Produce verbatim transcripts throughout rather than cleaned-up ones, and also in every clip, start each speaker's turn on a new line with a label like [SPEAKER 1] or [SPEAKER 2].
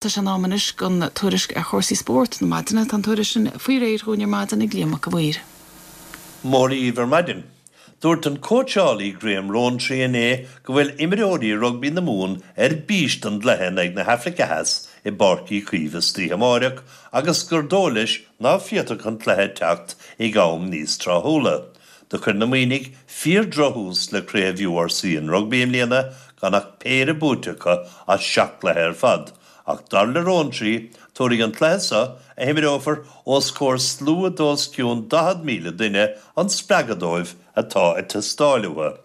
[SPEAKER 1] Tá sé in am anois don tuairisc ar chúrsaí spóirt na maidine tá an tuairisc sin faoi réir dúinn ar maidin ag Liam Mac a' Mhaoir.
[SPEAKER 2] Mór ar maidin. Dúirt an cóitseálaí Graham Rowntree inné go bhfuil imreoirí rugbaí na Mumhan ar bís don gcluiche in aghaidh na hAfraice Theas i bPáirc Uí Chaoimh istoíche amárach agus gur dóigh leis ná féadfadh an cluiche teacht ag am níos tráthúla. Do chuir na Muimhnigh fíordhrochthús le craobh URC an rugbaí i mbliana gan ach péire buaite acu as seacht gcluiche ar fad. ach dar le Rowntree tabharfaidh an cluiche seo a himreofar os comhair slua d'os cionn daichead míle duine an spreagadh dóibh atá ag teastáil uathu.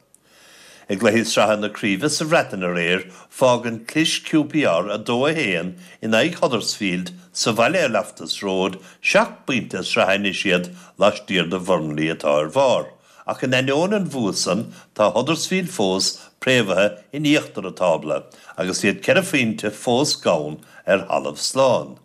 [SPEAKER 2] I gcluichí sraithe na craoibhe sa Bhreatain aréir fágann clis QPR a dó a haon in aghaidh Huddersfield sa bhaile ar Loftus Road seacht bpointe sraithe anois iad laistiar de Bhurnley atá ar bharr. Ach in ainneoin an bhua san tá Huddersfield fós préamhaithe in íochtar an tábla, agus iad ceithre phointe fós gann ar thalamh slán.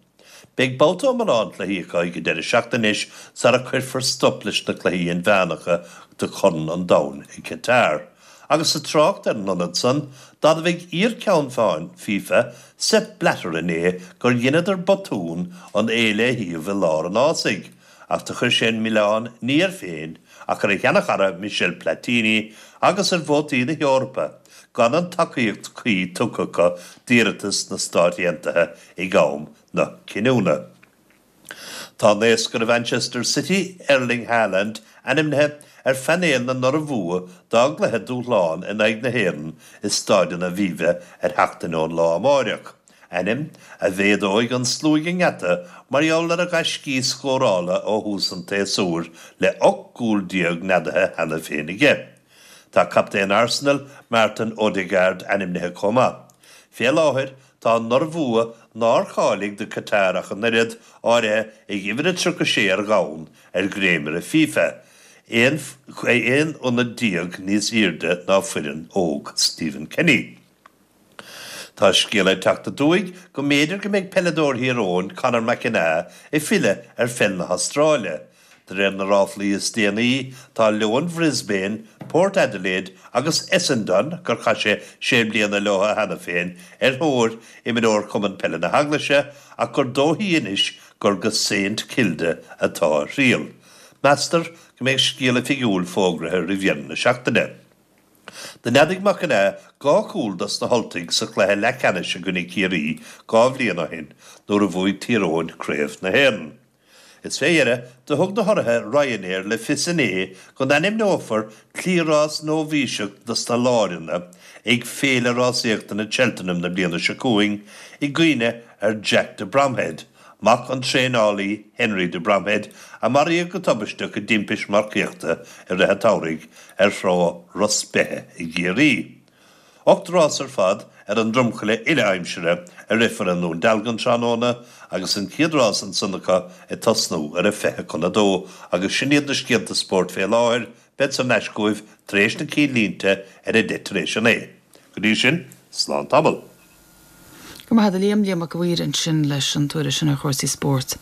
[SPEAKER 2] Beidh babhta iomlán cluichí acu ag an deireadh seachtaine anois sara cuirfear stop leis na cluichí inmheánacha do Chorn an Domhain i Qatar. Agus sa trácht ar an ionad san, d'admhaigh iar-cheann feadhain FIFA, Sepp Blatter inné gur dheineadar botún an fhéile a shuíomh i lár an fhásaigh, ach do chuir sé an milleán ní air féin ach ar a sheanchara Michel Platini agus ar vótaí na hEorpa, gan an tacaíocht cuí tugtha acu d'iarratas na Stát Aontaithe ag am na cinniúna. Tá naoscaire Mhanchester City, Erling Haaland, ainmnithe ar phainéal na n-urmhumha dá gcluiche dúshláin in aghaidh na hÉireann i Staid an Aviva ar sheachtain ón lá amáireach. ainm a mhéadóidh an slua ag an ngeata mar gheall ar a ghaiscí scórála ó thús an tséasúir le ocht gcúl déag neadaithe cheana féin aige. Tá captaen Arsenal, Martin Odegaard ainmnithe chomh maith. Fé láthair, tá an Iorua, nár cháiligh do Qatar ach an oiread, áirithe ag uimhir a tríocha sé ar dhomhan ar dhréimire FIFA, aon aon ionad déag níos airde ná foireann óg Stephen Kenny. Tá scéala ag teacht aduaidh go mb'fhéidir go mbeidh peileadóir Thír Eoghain, Conor McAnea, ag filleadh ar pheil na hAstráile. De réir na ráflaí is déanaí, tá Leoin Brisbane, Port Adelaide agus Essendon, gur chaith sé sé bliana leo cheana féin, ar thóir imreoir Chumann Peile na hEaglaise, ach gur dóichí anois gur go Saint Kilda atá a thriall. Meastar go mbeidh scéal oifigiúil fógraithe roimh dheireadh na seachtaine. Do neadaigh McAnea dhá chúl dos na hUltaigh sa chluiche leathcheannais i gcoinne Ciarraí dhá bhliain ó shin nuair a bhuaigh Tír Eoghain Craobh na hÉireann. Is fé dheireadh, do thug na hurraithe Ryanair le fios inné go n-ainmneofar cliathrás nóibhíseach dos na láireanna ag Féile Rásaíochta na Cheltenham na bliana seo chugainn i gcuimhne ar Jack de Bromhead, mac an traenálaí Henry de Bromhead, a maraíodh go tubaisteach i dtimpist marcaíochta i rith an tsamhraidh ar thrá Ros Beithe i gCiarraí. Ocht rás ar fad ar an dromchla uile-aimsire a rithfear i nDún Dealgan tráthnóna agus an chéad rás ansan acu ag tosnú ar a fiche chun a dó agus sin iad na scéalta spóirt fé láthair, bead thar n-ais chugaibh tar éis na cinnlínte ar a deich tar éis a naoi. Go dtí sin, slán tamall.
[SPEAKER 1] Go maith a Liam Liam Mac a' Mhaoir ansin leis an tuairisc sin ar chúrsaí spóirt.